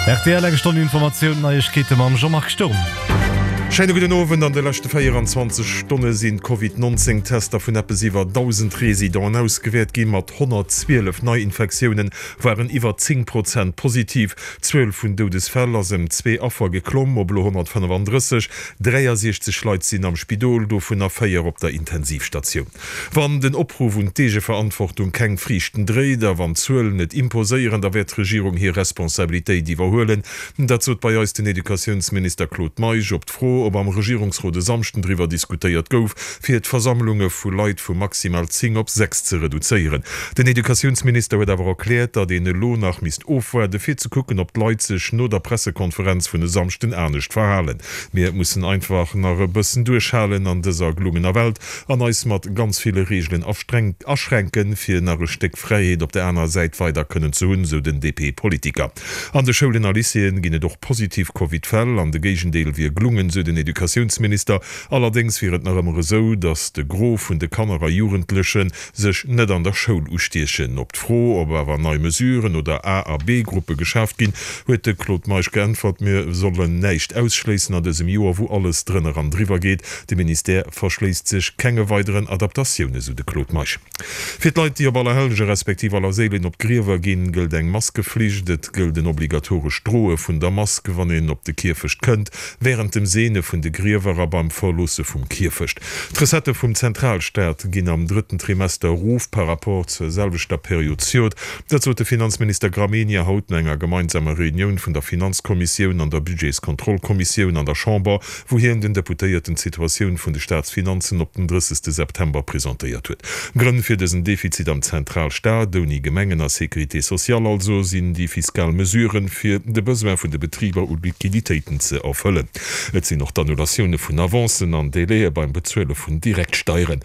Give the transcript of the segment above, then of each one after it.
Rtl, Eng Stonn Informatioun, Neiegkeete mam Jean-Marc Sturm. Schéine gudden Owend. An de leschte 24 Stonne sinn d'Covid 19 Tester vun eppes iwwer 1.000 Residenten ausgewäert ginn. Mat 112 Neiinfektioune waren iwwer 10 Prozent positiv. D'Zuel vun Doudesfäll ass ëm zwee Affer geklomm op elo 135. 63 Leit sinn am Spidol, dovunner 4 op der Intensivstatioun. Wann den Opruff un d'Eegeverantwortung keng Friichten dréit a wann d'Zuelen et imposéieren, da wäert d'Regierung hir Responsabilitéit iwwerhuelen. Dat sot bei eis den Educatiounsminister Claude Meisch op d'Fro, ob am Regierungsrot e Samschden driwwer diskutéiert gouf, fir d'Versammlunge vu Leit vu maximal 10 op 6 ze reduzéieren. Den Educatiounsminister huet awer erkläert, datt een elo nach misst ofwaarde fir ze kucken, ob d'Leit sech no der Pressekonferenz vun e Samschden anescht verhalen. Mir mussen einfach nach e bëssen duerchhalen an dëser glummener Welt an eis mat ganz ville Reegelen aschränken, fir nach e Stéck Fräiheet op der anerer Säit weider kënnen ze hunn, sou den DP-Politiker. An de Schoulen a Lycéeën ginn et och positiv Covid-Fäll an de Géigendeel wier glungen, sou den Educatiounsminister. Allerdéngs wier et nach ëmmer esou, datt de Gros vun de Kanner a Jugendleche sech net an der Schoul ustiechen. Op d'Fro, ob awer nei Mesuren oder A a B-Gruppe geschaaft ginn, huet de Claude Meisch geäntwert, Mir sollen näischt ausschléissen an dësem Joer, wou alles drënner an driwwer geet. De Ministère verschléisst sech kenge weideren Adaptatiounen, sou de Claude Meisch. Fir d'Leit, déi op Allerhellege respektiv Allerséilen op d'Griewer ginn, gëllt eng Maskeflicht. Et gëllt en obligatorescht Droe vun der Mask, wann een op de Kierfecht kënnt, wärend dem Seene vun de Griewer a beim Verloosse vum Kierfecht. D'Recettë vum Zentralstaat ginn am drëtten Trimester erof par rapport zur selwechter Period zejoert. Dat sot de Finanzminister Gramegna haut no enger gemeinsamer Reunioun vun der Finanzkommissioun an der Budgetskontrollkommissioun an der Chamber, wou hien den Deputéierten d'Situatioun vun de Staatsfinanzen op den 30 September presentéiert huet. Grënn fir dësen Defizit am Zentralstaat, ouni Gemengen a Sécurité sociale also, sinn déi fiskal Mesuren, fir de Besoin vun de Betriber u Liquiditéiten ze erfëllen. Et sinn och d'Annulatioune vun Avancen an Délaië beim Bezuele vun Direktsteieren.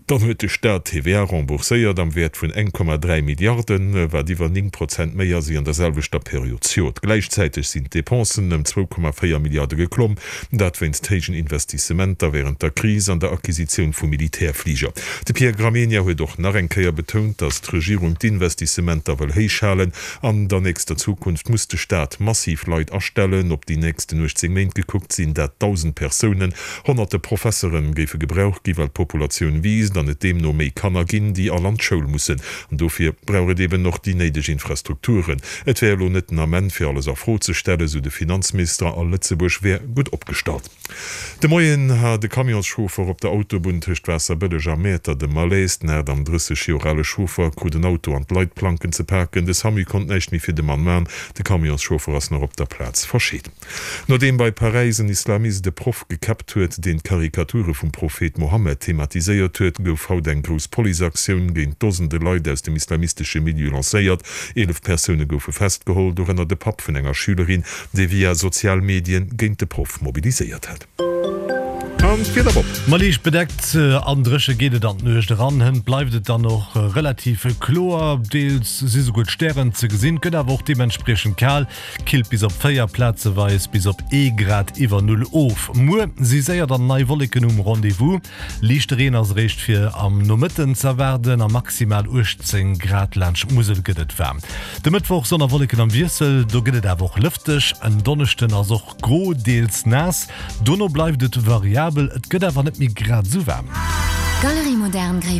Dann huet de Staat d'TVA rembourséiert am Wäert vun 1,3 Milliarden, wat iwwer 9 Prozent méi ass ewéi an der selwechter Period zejoert. Gläichzäiteg sinn d'Depensen ëm 2,4 Milliarde geklomm, dat wéinst héijen Investissementer wärend der Kris an der Acquisitioun vu Militärfliger. De Pierre Gramegna huet och nach eng Kéier betount, datt d'Regierung d'Investissementer wëll héich halen. An der nächster Zukunft muss de Staat massiv Leit astellen. Op déi nächsten 18 Méint gekuckt sinn dat 1.000 Persounen. Honnerte Professeren géife gebraucht gi well d'Populatioun wiisst an et deemno méi Kanner ginn, déi all an d'Schoul mussen. An dofir brauch et eben och déi néideg Infrastrukturen. Et wär elo net den Ament fir alles a Fro ze stellen, sou de Finanzminister, a Lëtzebuerg wär gutt opgestallt. De Moien hat e Camionschauffer op der Autobunn tëscht Waasserbëlleg a Mäertert e Malaise. Den 38 Joer ale Chauffer krut en Auto an d'Leitplanken ze paken. De Samu konnt näischt méi fir de Mann man. De Camionschauffer ass nach op der Plaz verscheet. Nodeem bei Paräis en Islamist e Proff gekäppt huet, deen d'Karikature vum Prophet Mohammed thematiséiert huet, gouf haut eng grouss Policeaktioun géint Dosende Leit aus dem islamistesche Milieu lancéiert. 11 Persoune goufe festgeholl, dorënner de Papp vun enger Schülerin, dee via sozial Medien géint de Proff mobiliséiert hat. An d'Wieder Bob. Ma liicht bedeckt an dréche geet et an d'Nuecht eran. Hënt bleift et dann och relativ kloer, deels si souguer d'Stären ze gesinn, gëtt awer och deementspriechend kal. Killt bis op 4, plazeweis bis op ee Grad iwwer Null of. Muer si séier dann nei Wolleken um Rendez-vous, liichte Reen ass eréischt fir am Nomëtten z'erwaarden a maximal 18 Grad laanscht d'Musel gëtt et waarm. De Mëttwoch Sonn a Wolleken am Wiessel, do gëtt et awer och lëfteg. En Donneschden ass och gro, deels naass, dono bleift et variabel, et gëtt awer net méi grad esou waarm. Galerie Moderne Gréiwemaacher.